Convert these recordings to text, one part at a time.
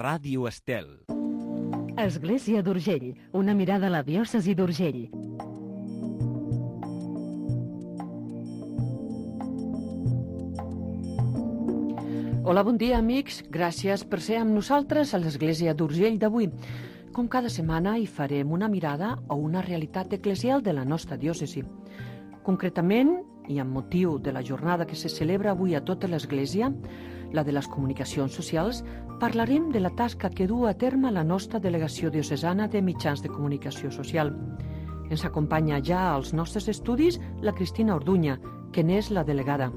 Ràdio Estel. Església d'Urgell, una mirada a la diòcesi d'Urgell. Hola, bon dia, amics. Gràcies per ser amb nosaltres a l'Església d'Urgell d'avui. Com cada setmana hi farem una mirada a una realitat eclesial de la nostra diòcesi. Concretament, i amb motiu de la jornada que se celebra avui a tota l'Església, la de les comunicacions socials, parlarem de la tasca que du a terme la nostra delegació diocesana de mitjans de comunicació social. Ens acompanya ja als nostres estudis la Cristina Orduña, que n'és la delegada.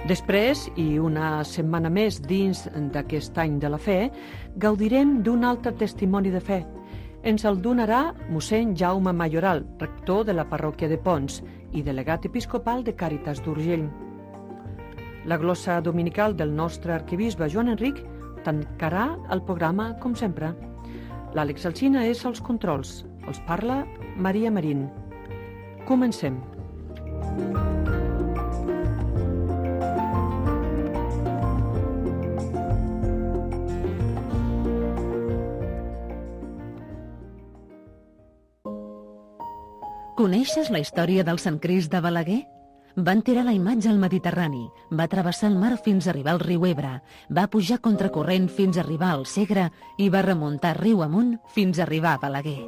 Després, i una setmana més dins d'aquest any de la fe, gaudirem d'un altre testimoni de fe. Ens el donarà mossèn Jaume Mayoral, rector de la parròquia de Pons i delegat episcopal de Càritas d'Urgell. La glossa dominical del nostre arquebisbe Joan Enric tancarà el programa com sempre. L'Àlex Alsina és als controls. Els parla Maria Marín. Comencem. Coneixes la història del Sant Crist de Balaguer? Va enterrar la imatge al Mediterrani, va travessar el mar fins a arribar al riu Ebre, va pujar contracorrent fins a arribar al Segre i va remuntar riu amunt fins a arribar a Balaguer.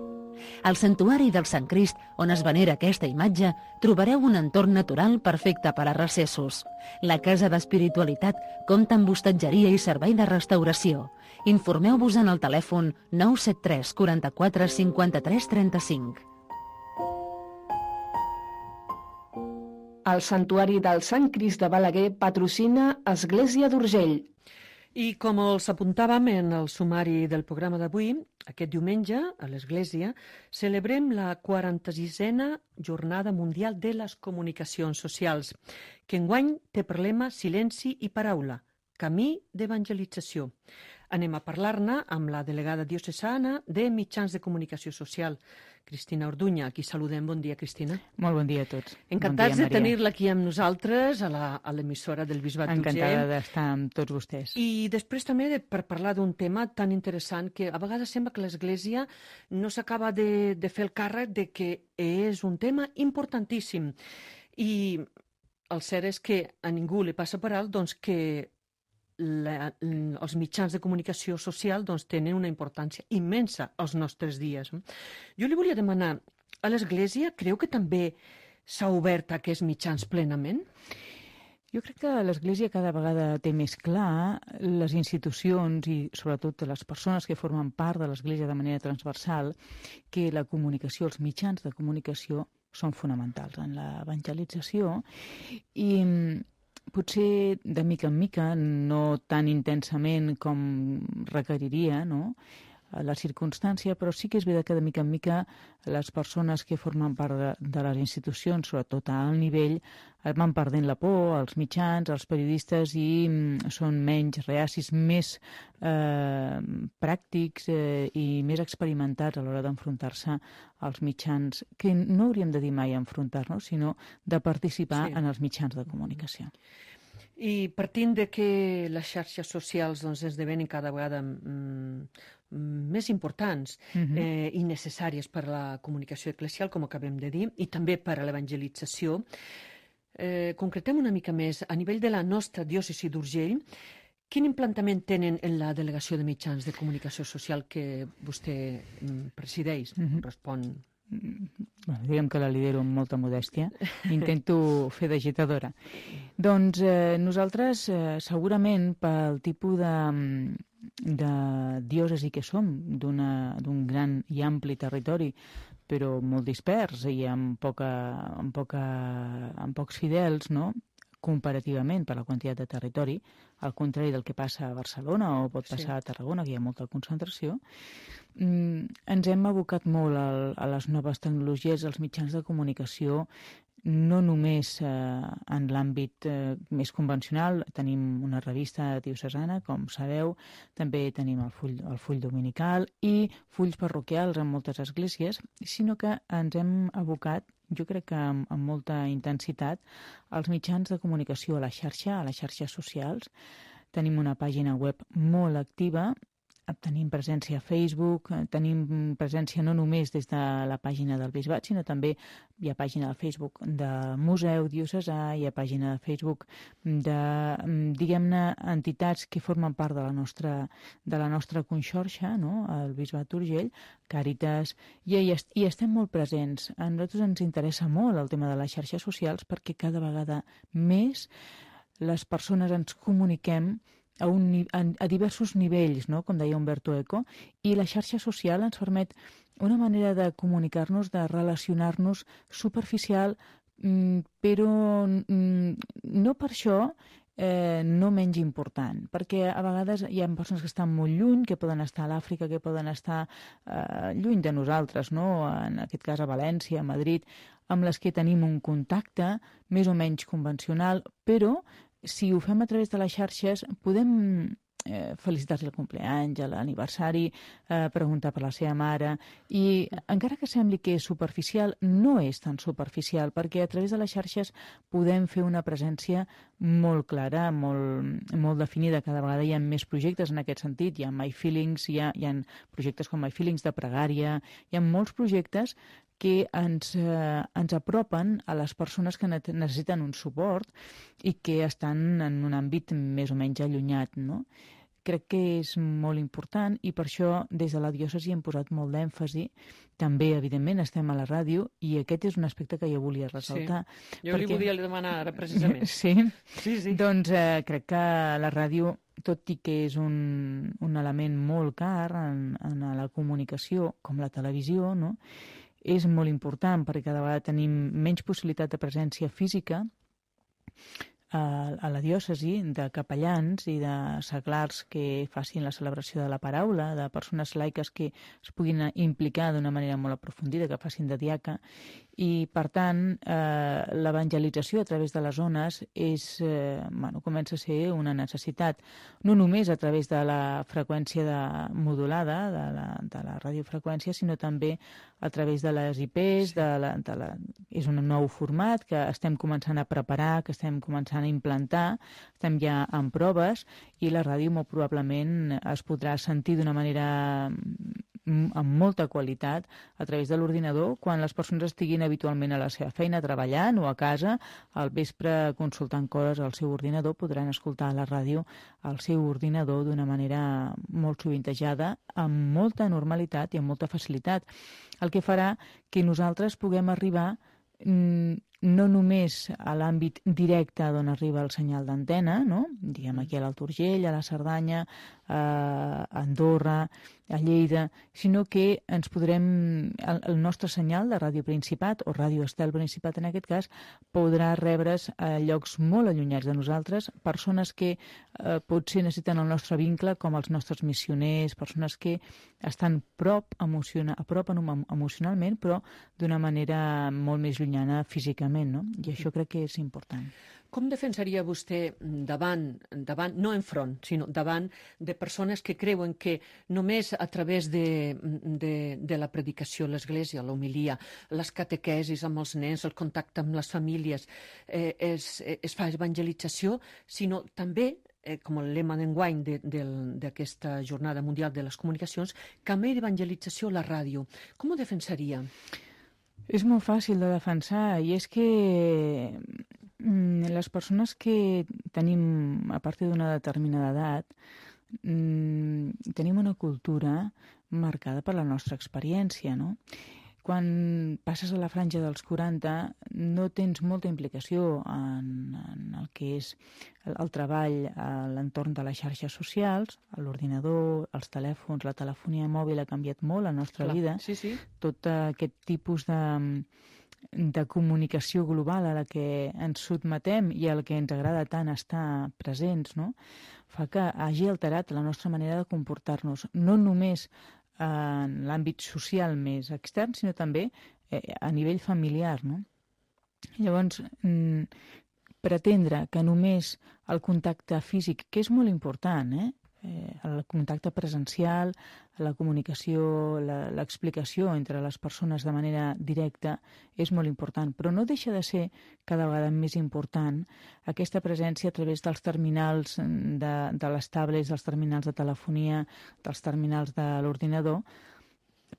Al santuari del Sant Crist, on es venera aquesta imatge, trobareu un entorn natural perfecte per a recessos. La Casa d'Espiritualitat compta amb hostatgeria i servei de restauració. Informeu-vos en el telèfon 973 44 53 35. El Santuari del Sant Crist de Balaguer patrocina Església d'Urgell. I com els apuntàvem en el sumari del programa d'avui, aquest diumenge, a l'Església, celebrem la 46a Jornada Mundial de les Comunicacions Socials, que enguany té per lema Silenci i Paraula, camí d'evangelització. Anem a parlar-ne amb la delegada diocesana de Mitjans de Comunicació Social, Cristina Orduña, a qui saludem. Bon dia, Cristina. Molt bon dia a tots. Encantats de tenir-la aquí amb nosaltres, a l'emissora del Bisbat d'Urgell. Encantada d'estar amb tots vostès. I després també per parlar d'un tema tan interessant que a vegades sembla que l'Església no s'acaba de fer el càrrec de que és un tema importantíssim. I el cert és que a ningú li passa per alt doncs, que els mitjans de comunicació social tenen una importància immensa als nostres dies. Jo li volia demanar, a l'Església creu que també s'ha obert a aquests mitjans plenament? Jo crec que l'Església cada vegada té més clar les institucions i sobretot les persones que formen part de l'Església de manera transversal que la comunicació, els mitjans de comunicació són fonamentals en l'evangelització i potser de mica en mica, no tan intensament com requeriria, no?, la circumstància, però sí que és veritat que de mica en mica les persones que formen part de les institucions, sobretot a alt nivell, van perdent la por, els mitjans, els periodistes, i són menys reacis, més pràctics i més experimentats a l'hora d'enfrontar-se als mitjans, que no hauríem de dir mai enfrontar-nos, sinó de participar en els mitjans de comunicació. I partint de que les xarxes socials esdevenen cada vegada més importants i necessàries per a la comunicació eclesial, com acabem de dir, i també per a l'evangelització, concretem una mica més, a nivell de la nostra diòcesi d'Urgell, quin implantament tenen en la delegació de mitjans de comunicació social que vostè presideix, respon? Bueno, diguem que la lidero amb molta modèstia, intento fer d'agitadora. Doncs nosaltres segurament pel tipus de diòcesi que som, d'un gran i ampli territori, però molt dispers i amb pocs fidels, no?, comparativament per la quantitat de territori, al contrari del que passa a Barcelona o pot passar a Tarragona, que hi ha molta concentració, ens hem abocat molt a les noves tecnologies, als mitjans de comunicació, no només en l'àmbit més convencional. Tenim una revista diocesana, com sabeu, també tenim el full dominical i fulls parroquials en moltes esglésies, sinó que ens hem abocat jo crec que amb molta intensitat, els mitjans de comunicació a les xarxes socials. Tenim una pàgina web molt activa, tenim presència a Facebook, tenim presència no només des de la pàgina del Bisbat, sinó també hi ha pàgina de Facebook del Museu Diocesà, hi ha pàgina de Facebook de, diguem-ne, entitats que formen part de la nostra conxorxa, no? El Bisbat d'Urgell, Càritas, i hi estem molt presents. A nosaltres ens interessa molt el tema de les xarxes socials perquè cada vegada més les persones ens comuniquem a diversos nivells, no? Com deia Umberto Eco, i la xarxa social ens permet una manera de comunicar-nos, de relacionar-nos superficial, però no per això no menys important, perquè a vegades hi ha persones que estan molt lluny, que poden estar a l'Àfrica, que poden estar lluny de nosaltres, no? En aquest cas a València, a Madrid, amb les que tenim un contacte més o menys convencional, però si ho fem a través de les xarxes, podem felicitar-li el compleany, l'aniversari, preguntar per la seva mare, i encara que sembli que és superficial, no és tan superficial, perquè a través de les xarxes podem fer una presència molt clara, molt definida. Cada vegada hi ha més projectes en aquest sentit. Hi ha My Feelings, hi ha projectes com My Feelings de pregària, hi ha molts projectes que ens apropen a les persones que necessiten un suport i que estan en un àmbit més o menys allunyat, no? Crec que és molt important i per això des de la diòcesi hem posat molt d'èmfasi. També, evidentment, estem a la ràdio i aquest és un aspecte que jo volia ressaltar. Sí. Jo li volia demanar ara, precisament. Sí? Sí. Doncs crec que la ràdio, tot i que és un element molt car en la comunicació, com la televisió, no? És molt important perquè cada vegada tenim menys possibilitat de presència física a la diòcesi, de capellans i de seglars que facin la celebració de la paraula, de persones laiques que es puguin implicar d'una manera molt aprofundida, que facin de diaca, i per tant l'evangelització a través de les zones comença a ser una necessitat, no només a través de la freqüència modulada, de la radiofreqüència, sinó també a través de les IPs, és un nou format que estem començant a preparar, que estem començant a implantar, estem ja en proves i la ràdio molt probablement es podrà sentir d'una manera amb molta qualitat a través de l'ordinador quan les persones estiguin habitualment a la seva feina treballant o a casa, al vespre consultant coses al seu ordinador, podran escoltar la ràdio al seu ordinador d'una manera molt sovintejada, amb molta normalitat i amb molta facilitat, el que farà que nosaltres puguem arribar no només a l'àmbit directe d'on arriba el senyal d'antena, no? Diguem aquí a l'Alt Urgell, a la Cerdanya, a Andorra, a Lleida, sinó que ens podrem, el nostre senyal de Ràdio Principat, o Ràdio Estel Principat en aquest cas, podrà rebre's a llocs molt allunyats de nosaltres, persones que potser necessiten el nostre vincle, com els nostres missioners, persones que estan a prop emocionalment, però d'una manera molt més llunyana físicament, no? I això crec que és important. Com defensaria vostè davant, no enfront, sinó davant de persones que creuen que només a través de la predicació, l'Església, l'homilia, les catequesis amb els nens, el contacte amb les famílies, es fa evangelització, sinó també, com el lema d'enguany d'aquesta Jornada Mundial de les Comunicacions, també d'evangelització a la ràdio. Com ho defensaria? És molt fàcil de defensar i és que les persones que tenim, a partir d'una determinada edat, tenim una cultura marcada per la nostra experiència, no? Quan passes a la franja dels 40 no tens molta implicació en el que és el treball a l'entorn de les xarxes socials, l'ordinador, els telèfons, la telefonia mòbil ha canviat molt la nostra vida. Sí. Tot aquest tipus de comunicació global a la que ens sotmetem i a la que ens agrada tant estar presents, no? Fa que hagi alterat la nostra manera de comportar-nos, no només en l'àmbit social més extern, sinó també a nivell familiar, no? Llavors, pretendre que només el contacte físic, que és molt important, el contacte presencial, la comunicació, l'explicació entre les persones de manera directa és molt important, però no deixa de ser cada vegada més important aquesta presència a través dels terminals de les tablets, dels terminals de telefonia, dels terminals de l'ordinador,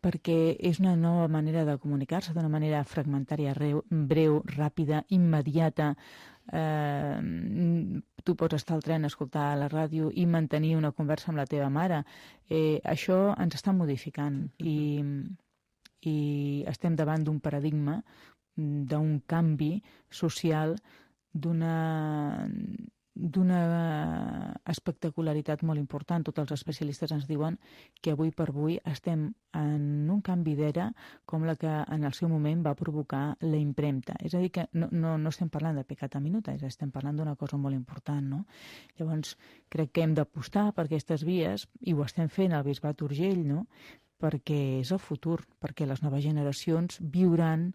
perquè és una nova manera de comunicar-se, d'una manera fragmentària, breu, ràpida, immediata. Tu pots estar al tren, escoltar la ràdio i mantenir una conversa amb la teva mare. Això ens està modificant i estem davant d'un paradigma, d'un canvi social, d'una espectacularitat molt important. Tots els especialistes ens diuen que avui per avui estem en un canvi d'era com la que en el seu moment va provocar la impremta. És a dir, que no estem parlant de peccata minuta, estem parlant d'una cosa molt important, no? Llavors, crec que hem d'apostar per aquestes vies, i ho estem fent al Bisbat d'Urgell, no? Perquè és el futur, perquè les noves generacions viuran,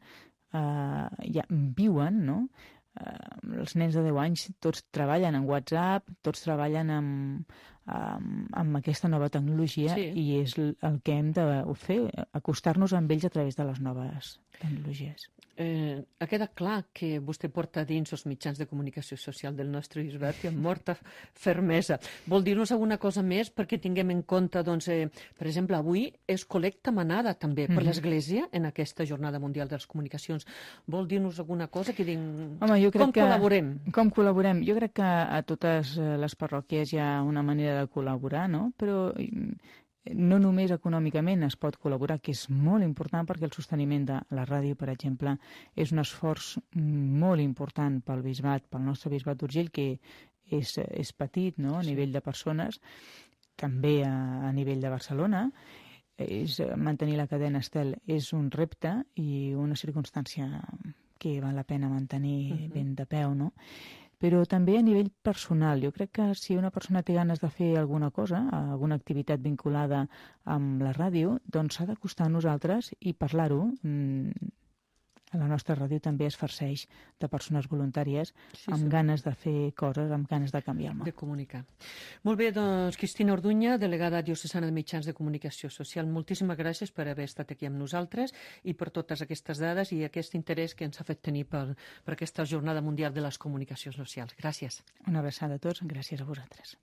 viuen, no? Els nens de 10 anys tots treballen en WhatsApp, tots treballen amb aquesta nova tecnologia, sí. I és el que hem de fer, acostar-nos amb ells a través de les noves tecnologies. Ha quedat clar que vostè porta dins els mitjans de comunicació social del nostre bisbat i amb molta fermesa. Vol dir-nos alguna cosa més perquè tinguem en compte, doncs, per exemple, avui és col·lecta manada també per l'Església en aquesta Jornada Mundial de les Comunicacions. Vol dir-nos alguna cosa que diguin... Com col·laborem? Com col·laborem? Jo crec que a totes les parròquies hi ha una manera de col·laborar, no? Però no només econòmicament es pot col·laborar, que és molt important perquè el sosteniment de la ràdio, per exemple, és un esforç molt important pel bisbat, pel nostre bisbat d'Urgell, que és petit, no?, a nivell de persones, també a nivell de Barcelona. Mantenir la cadena Estel és un repte i una circumstància que val la pena mantenir ben de peu, no? Però també a nivell personal. Jo crec que si una persona té ganes de fer alguna cosa, alguna activitat vinculada amb la ràdio, doncs s'ha d'acostar a nosaltres i parlar-ho. La nostra ràdio també es farceix de persones voluntàries amb ganes de fer coses, amb ganes de canviar el món. De comunicar. Molt bé, doncs, Cristina Orduña, delegada diocesana de Mitjans de Comunicació Social, moltíssimes gràcies per haver estat aquí amb nosaltres i per totes aquestes dades i aquest interès que ens ha fet tenir per aquesta Jornada Mundial de les Comunicacions Socials. Gràcies. Una abraçada a tots, gràcies a vosaltres.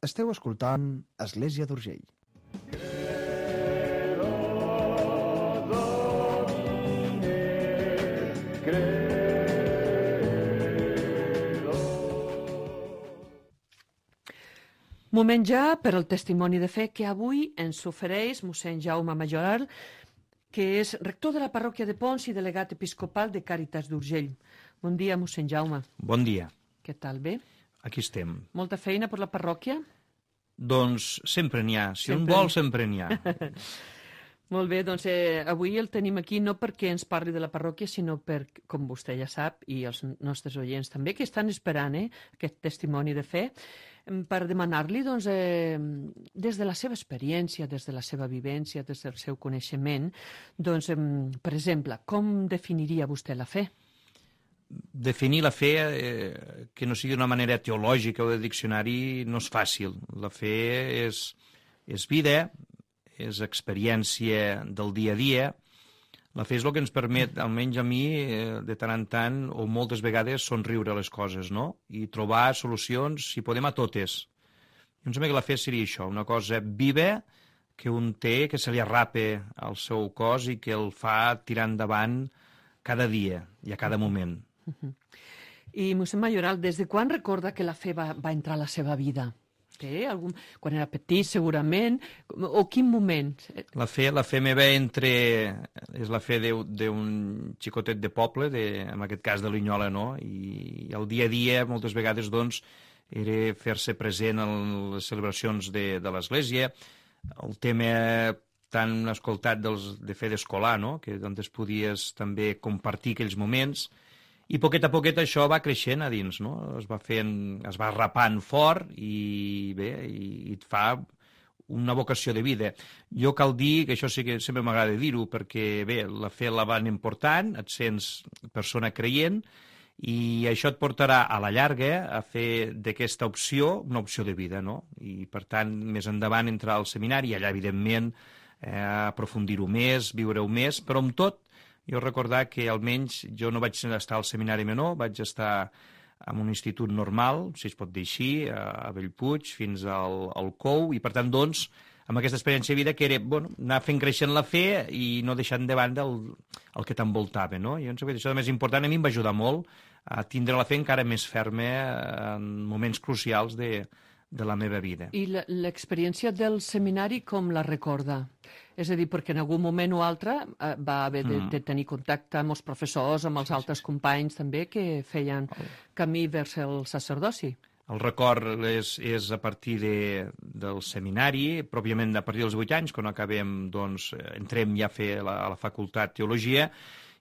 Esteu escoltant Església d'Urgell. Moment ja per al testimoni de fe que avui ens ofereix mossèn Jaume Majoral, que és rector de la parròquia de Pons i delegat episcopal de Càritas d'Urgell. Bon dia, mossèn Jaume. Bon dia. Què tal, bé? Aquí estem. Molta feina per la parròquia? Doncs sempre n'hi ha. Si un vol, sempre n'hi ha. Molt bé, doncs avui el tenim aquí no perquè ens parli de la parròquia, sinó per, com vostè ja sap, i els nostres oients també, que estan esperant aquest testimoni de fe, per demanar-li, doncs, des de la seva experiència, des de la seva vivència, des del seu coneixement, doncs, per exemple, com definiria vostè la fe? Definir la fe que no sigui d'una manera teològica o de diccionari no és fàcil. La fe és vida, és experiència del dia a dia. La fe és el que ens permet, almenys a mi, de tant en tant, o moltes vegades, somriure a les coses, no? I trobar solucions, si podem, a totes. Em sembla que la fe seria això, una cosa viva que un té, que se li arrapa al seu cos i que el fa tirar endavant cada dia i a cada moment. I, mossèn Majoral, des de quan recorda que la fe va entrar a la seva vida? Quan era petit, segurament, o quin moment? La fe meva és la fe d'un xicotet de poble, en aquest cas de Linyola, no? I el dia a dia, moltes vegades, doncs, era fer-se present en les celebracions de l'Església, el tema tan escoltat de fe d'escolar, no? Que doncs podies també compartir aquells moments. I poquet a poquet això va creixent a dins, no? Es va rapant fort i bé, i et fa una vocació de vida. Jo cal dir, que això sí que sempre m'agrada dir-ho, perquè bé, la fe la van important, et sents persona creient, I això et portarà a la llarga a fer d'aquesta opció una opció de vida, no? I, per tant, més endavant entrar al seminari, allà, evidentment, aprofundir-ho més, viure-ho més, però amb tot, jo recordar que almenys jo no vaig estar al seminari menor, vaig estar en un institut normal, si es pot dir així, a Bellpuig, fins al COU, i per tant, doncs, amb aquesta experiència de vida que era, bueno, anar fent creixent la fe i no deixant de banda el que t'envoltava, no? I això és més important, a mi em va ajudar molt a tindre la fe encara més ferma en moments crucials de la meva vida. I l'experiència del seminari com la recorda? És a dir, perquè en algun moment o altre va haver de tenir contacte amb els professors, amb els altres companys també que feien camí vers el sacerdoci. El record és a partir del seminari, pròpiament a partir dels 8 anys, quan acabem, doncs, entrem ja a fer a la facultat de Teologia,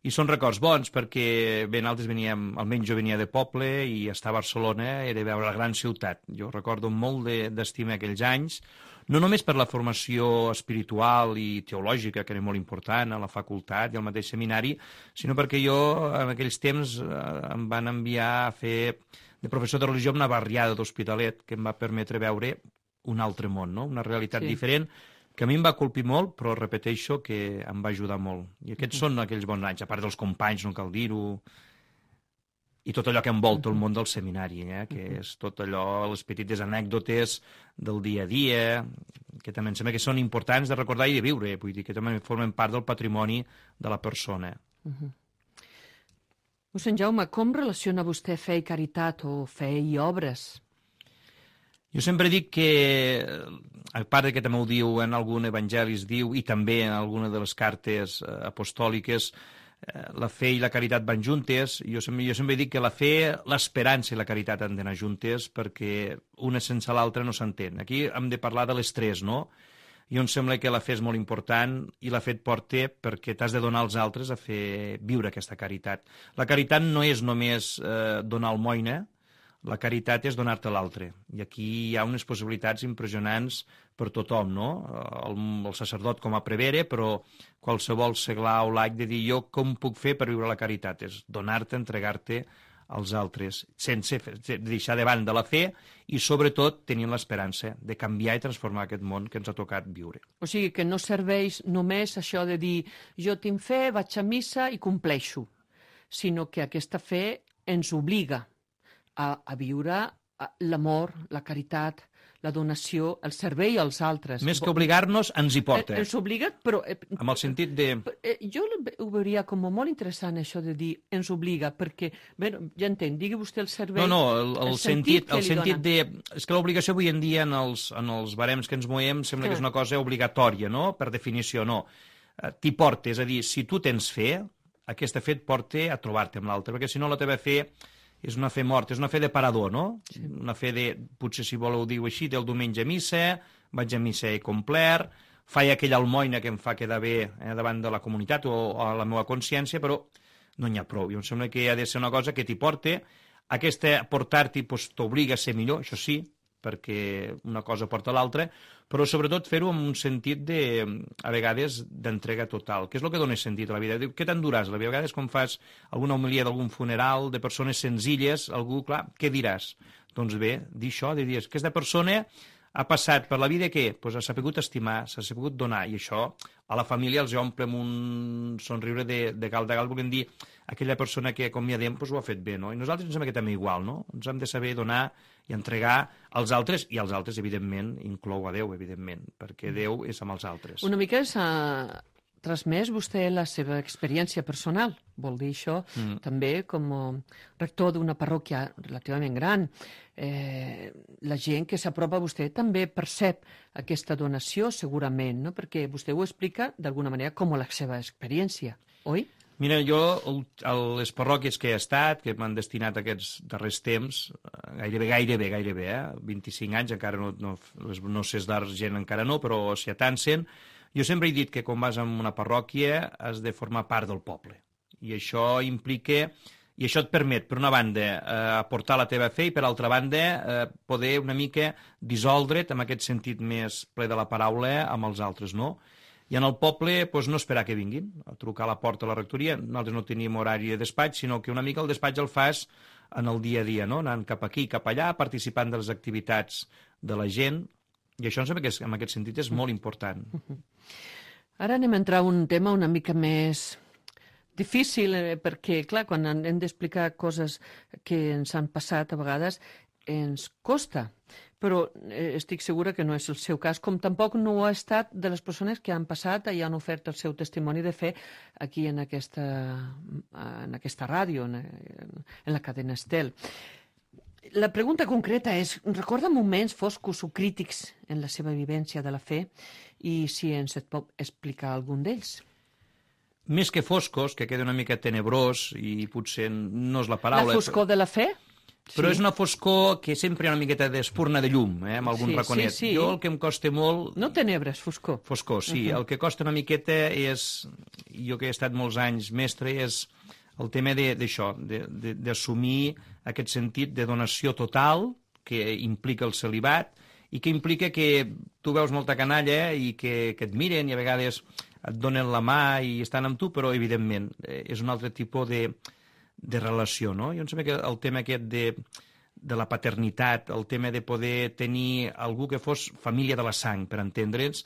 i són records bons perquè bé, nosaltres veníem, almenys jo venia de poble i estar a Barcelona era veure la gran ciutat. Jo recordo molt d'estima aquells anys, no només per la formació espiritual i teològica, que era molt important a la facultat i al mateix seminari, sinó perquè jo en aquells temps em van enviar a fer de professor de religió en una barriada d'Hospitalet que em va permetre veure un altre món, no? Una realitat diferent, que a mi em va colpir molt, però repeteixo que em va ajudar molt. I aquests són aquells bons anys, a part dels companys, no cal dir-ho, i tot allò que envolta el món del seminari, que és tot allò, les petites anècdotes del dia a dia, que també em sembla que són importants de recordar i de viure, vull dir que també formen part del patrimoni de la persona. Mossèn Jaume, com relaciona vostè fe i caritat o fe i obres? Jo sempre dic que, a part que també ho diu en algun evangeli, diu, i també en alguna de les cartes apostòliques, la fe i la caritat van juntes. Jo sempre dic que la fe, l'esperança i la caritat han d'anar juntes perquè una sense l'altra no s'entén. Aquí hem de parlar de les tres, no? I em sembla que la fe és molt important i la fe et porta perquè t'has de donar als altres a fer viure aquesta caritat. La caritat no és només donar almoina, la caritat és donar-te l'altre. I aquí hi ha unes possibilitats impressionants per tothom, no? El sacerdot com a prevere, però qualsevol seglar o laic de dir jo com puc fer per viure la caritat? És donar-te, entregar-te als altres, sense deixar de banda la fe i, sobretot, tenint l'esperança de canviar i transformar aquest món que ens ha tocat viure. O sigui, que no serveix només això de dir jo tinc fe, vaig a missa i compleixo, sinó que aquesta fe ens obliga a viure l'amor, la caritat, la donació, el servei als altres. Més que obligar-nos, ens hi porta. Ens obliga, però... Amb el sentit de... Jo ho veuria com molt interessant, això de dir ens obliga, perquè, bé, ja entenc, digui vostè el servei... No, el sentit de... És que l'obligació avui en dia en els barems que ens movem sembla que és una cosa obligatòria, no? Per definició, no. T'hi porta, és a dir, si tu tens fe, aquesta fe et porta a trobar-te amb l'altre, perquè si no la teva fe és una fe morta, és una fe de parador, no? Sí. Una fe de, potser si voleu dir-ho així, del diumenge a missa, vaig a missa i complert, faig aquella almoina que em fa quedar bé davant de la comunitat o a la meva consciència, però no n'hi ha prou. I em sembla que ha de ser una cosa que t'hi porta, aquesta portar-t'hi t'obliga a ser millor, això sí, perquè una cosa porta a l'altra, però sobretot fer-ho amb un sentit a vegades d'entrega total, que és el que dona sentit a la vida. Què t'enduràs? A vegades quan fas alguna homilia d'algun funeral de persones senzilles, algú, clar, què diràs? Doncs bé, dir això, de dir, aquesta persona ha passat per la vida què? Pues ha sabut estimar, s'ha sabut donar, i això a la família els omple amb un somriure de gal, volem dir, aquella persona que acomiadem pues, ho ha fet bé, no? I nosaltres ens sembla que també igual, no? Ens hem de saber donar i entregar als altres, i als altres, evidentment, inclou a Déu, evidentment, perquè Déu és amb els altres. Una mica s'ha transmès vostè la seva experiència personal, vol dir això, també com a rector d'una parròquia relativament gran. La gent que s'apropa a vostè també percep aquesta donació, segurament, no? Perquè vostè ho explica d'alguna manera com la seva experiència, oi? Mira, jo a les parròquies que he estat, que m'han destinat aquests darrers temps, gairebé, 25 anys, encara no sé d'argent encara no, però s'hi atancen, jo sempre he dit que quan vas a una parròquia has de formar part del poble. I això implica, i això et permet, per una banda, aportar la teva fe i, per altra banda, poder una mica dissoldre't amb aquest sentit més ple de la paraula amb els altres, no? I en el poble, doncs, no esperar que vinguin, a trucar a la porta de la rectoria. Nosaltres no teníem horari de despatx, sinó que una mica el despatx el fas en el dia a dia, no? Anant cap aquí, cap allà, participant de les activitats de la gent, i això em sembla que en aquest sentit és molt important. Ara anem a entrar a un tema una mica més difícil, perquè, clar, quan hem d'explicar coses que ens han passat a vegades, ens costa, però estic segura que no és el seu cas, com tampoc no ho ha estat de les persones que han passat i han ofert el seu testimoni de fe aquí en aquesta ràdio, en la cadena Estel. La pregunta concreta és, recorda moments foscos o crítics en la seva vivència de la fe i si ens et pot explicar algun d'ells? Més que foscos, que queda una mica tenebrós i potser no és la paraula. La foscor de la fe? Però Sí. és una foscor que sempre hi ha una miqueta d'espurna de llum, amb algun Sí, raconet. sí, sí. Jo el que em costa molt... No tenebres, foscor. Foscor, sí. El que costa una miqueta és, jo que he estat molts anys mestre, és el tema d'això, d'assumir aquest sentit de donació total que implica el celibat i que implica que tu veus molta canalla i que et miren i a vegades et donen la mà i estan amb tu, però evidentment és un altre tipus de relació, no? Jo em sembla que el tema aquest de la paternitat, el tema de poder tenir algú que fos família de la sang, per entendre'ns,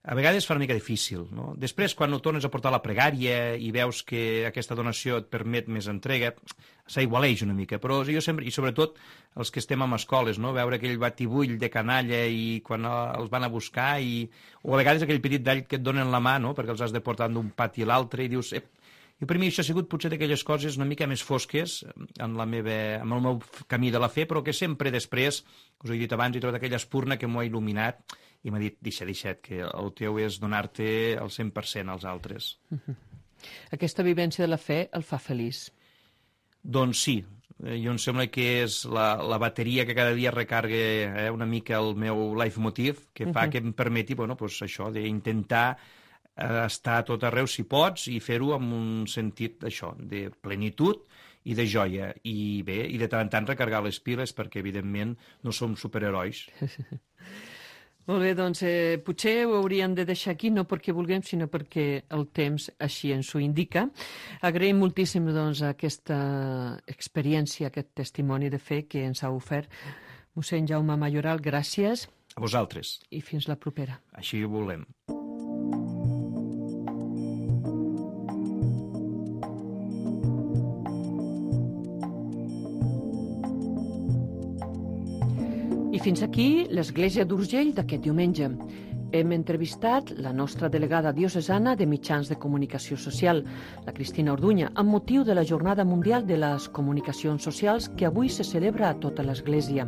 a vegades fa una mica difícil, no? Després, quan ho tornes a portar a la pregària i veus que aquesta donació et permet més entrega, s'aigualeix una mica, però jo sempre, i sobretot els que estem en escoles, no? Veure aquell batibull de canalla i quan els van a buscar, o a vegades aquell petit d'all que et donen la mà, no? Perquè els has de portar d'un pati a l'altre i dius... I per mi això ha sigut potser d'aquelles coses una mica més fosques en el meu camí de la fe, però que sempre després, us he dit abans, he trobat aquella espurna que m'ho ha il·luminat i m'ha dit, deixa't, que el teu és donar-te el 100% als altres. Aquesta vivència de la fe el fa feliç. Doncs sí, jo em sembla que és la bateria que cada dia recarga una mica el meu leitmotiv, que fa que em permeti, bueno, doncs això, d'intentar estar a tot arreu si pots i fer-ho amb un sentit d'això, de plenitud i de joia. I bé, i de tant en tant recargar les piles perquè, evidentment, no som superherois. Molt bé, doncs potser ho hauríem de deixar aquí, no perquè vulguem, sinó perquè el temps així ens ho indica. Agraïm moltíssim doncs, aquesta experiència, aquest testimoni de fe que ens ha ofert mossèn Jaume Mayoral. Gràcies. A vosaltres. I fins la propera. Així ho volem. I fins aquí l'Església d'Urgell d'aquest diumenge. Hem entrevistat la nostra delegada diocesana de Mitjans de Comunicació Social, la Cristina Orduña, amb motiu de la Jornada Mundial de les Comunicacions Socials que avui se celebra a tota l'Església.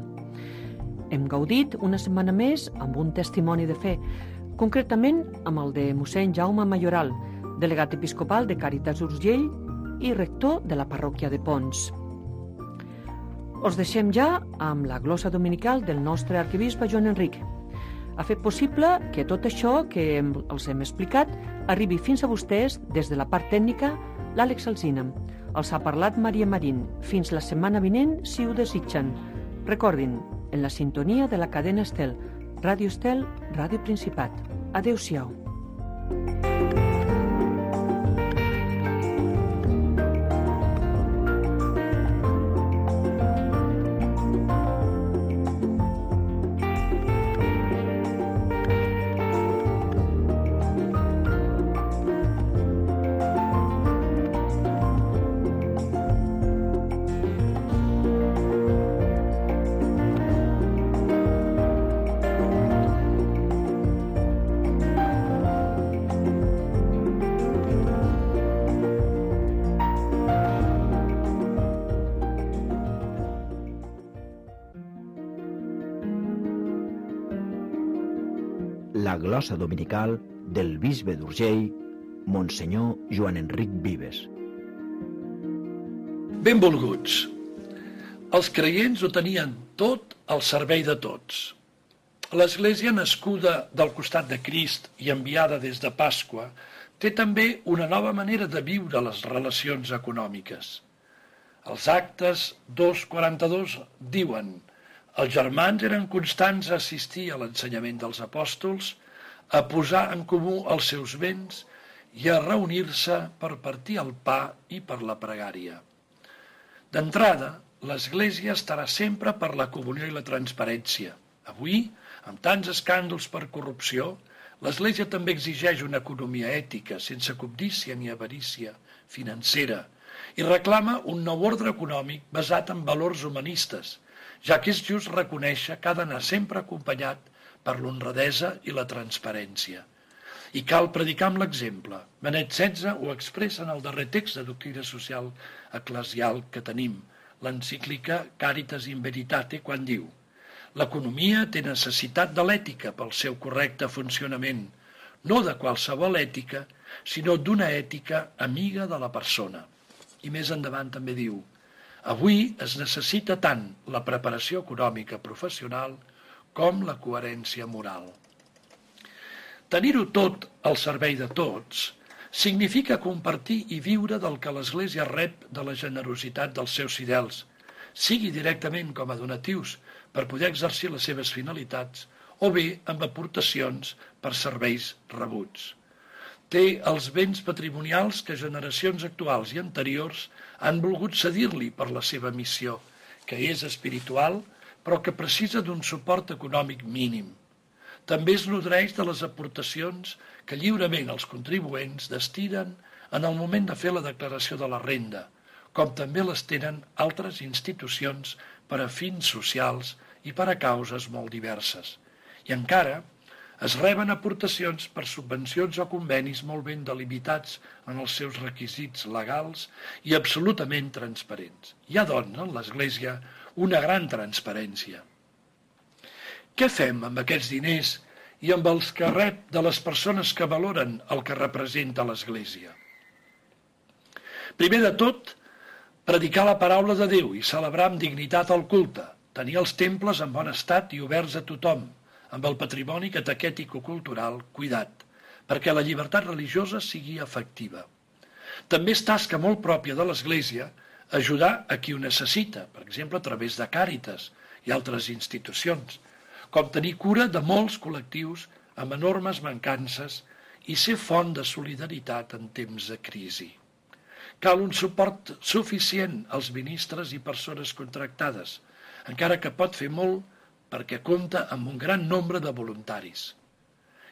Hem gaudit una setmana més amb un testimoni de fe, concretament amb el de mossèn Jaume Mayoral, delegat episcopal de Càritas Urgell i rector de la parròquia de Pons. Us deixem ja amb la glossa dominical del nostre arquebisbe Joan Enric. Ha fet possible que tot això que els hem explicat arribi fins a vostès des de la part tècnica l'Àlex Alsina. Els ha parlat Maria Marín. Fins la setmana vinent, si ho desitgen. Recordin, en la sintonia de la cadena Estel, Ràdio Estel, Ràdio Principat. Adéu-siau. La glossa dominical del bisbe d'Urgell, Monsenyor Joan Enric Vives. Benvolguts. Els creients ho tenien tot al servei de tots. L'Església nascuda del costat de Crist i enviada des de Pasqua té també una nova manera de viure les relacions econòmiques. Els Actes 2:42 diuen: els germans eren constants a assistir a l'ensenyament dels apòstols, a posar en comú els seus béns i a reunir-se per partir el pa i per la pregària. D'entrada, l'Església estarà sempre per la comunió i la transparència. Avui, amb tants escàndols per corrupció, l'Església també exigeix una economia ètica, sense cobdícia ni avarícia financera, i reclama un nou ordre econòmic basat en valors humanistes, ja que és just reconèixer que ha d'anar sempre acompanyat per l'honradesa i la transparència. I cal predicar amb l'exemple. Benet XVI ho expressa en el darrer text de doctrina social eclesial que tenim, l'encíclica Caritas in Veritate, quan diu: l'economia té necessitat de l'ètica pel seu correcte funcionament, no de qualsevol ètica, sinó d'una ètica amiga de la persona. I més endavant també diu: avui es necessita tant la preparació econòmica professional com la coherència moral. Tenir-ho tot al servei de tots significa compartir i viure del que l'Església rep de la generositat dels seus fidels, sigui directament com a donatius per poder exercir les seves finalitats o bé amb aportacions per serveis rebuts. Té els béns patrimonials que generacions actuals i anteriors han volgut cedir-li per la seva missió, que és espiritual, però que precisa d'un suport econòmic mínim. També es nodreix de les aportacions que lliurement els contribuents destinen en el moment de fer la declaració de la renda, com també les tenen altres institucions per a fins socials i per a causes molt diverses. I encara es reben aportacions per subvencions o convenis molt ben delimitats en els seus requisits legals i absolutament transparents. Hi ha, doncs, en l'Església una gran transparència. Què fem amb aquests diners i amb els que rep de les persones que valoren el que representa l'Església? Primer de tot, predicar la paraula de Déu i celebrar amb dignitat el culte, tenir els temples en bon estat i oberts a tothom, amb el patrimoni catequètico-cultural cuidat, perquè la llibertat religiosa sigui efectiva. També és tasca molt pròpia de l'Església ajudar a qui ho necessita, per exemple, a través de Càritas i altres institucions, com tenir cura de molts col·lectius amb enormes mancances i ser font de solidaritat en temps de crisi. Cal un suport suficient als ministres i persones contractades, encara que pot fer molt perquè compta amb un gran nombre de voluntaris.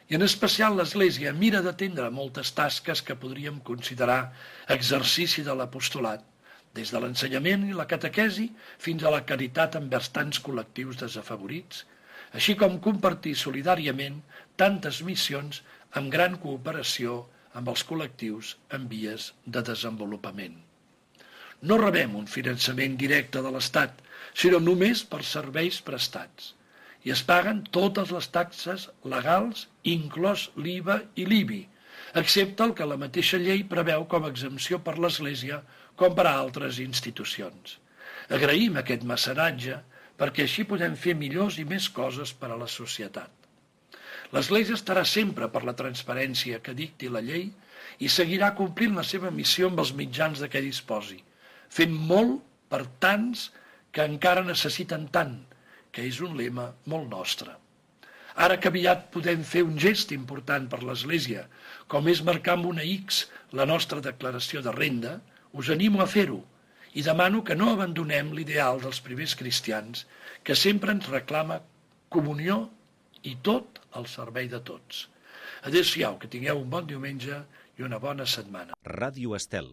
I en especial l'Església mira d'atendre moltes tasques que podríem considerar exercici de l'apostolat, des de l'ensenyament i la catequesi fins a la caritat envers tants col·lectius desafavorits, així com compartir solidàriament tantes missions amb gran cooperació amb els col·lectius en vies de desenvolupament. No rebem un finançament directe de l'Estat, sinó només per serveis prestats, i es paguen totes les taxes legals, inclòs l'IVA i l'IBI, excepte el que la mateixa llei preveu com a exempció per l'Església com per a altres institucions. Agraïm aquest mecenatge perquè així podem fer millors i més coses per a la societat. L'Església estarà sempre per la transparència que dicti la llei i seguirà complint la seva missió amb els mitjans de què disposi, fent molt per tants que encara necessiten tant, que és un lema molt nostre. Ara que aviat podem fer un gest important per l'Església, com és marcar amb una X la nostra declaració de renda, us animo a fer-ho i demano que no abandonem l'ideal dels primers cristians, que sempre ens reclama comunió i tot al servei de tots. Adéu-siau, que tingueu un bon diumenge i una bona setmana. Ràdio Estel.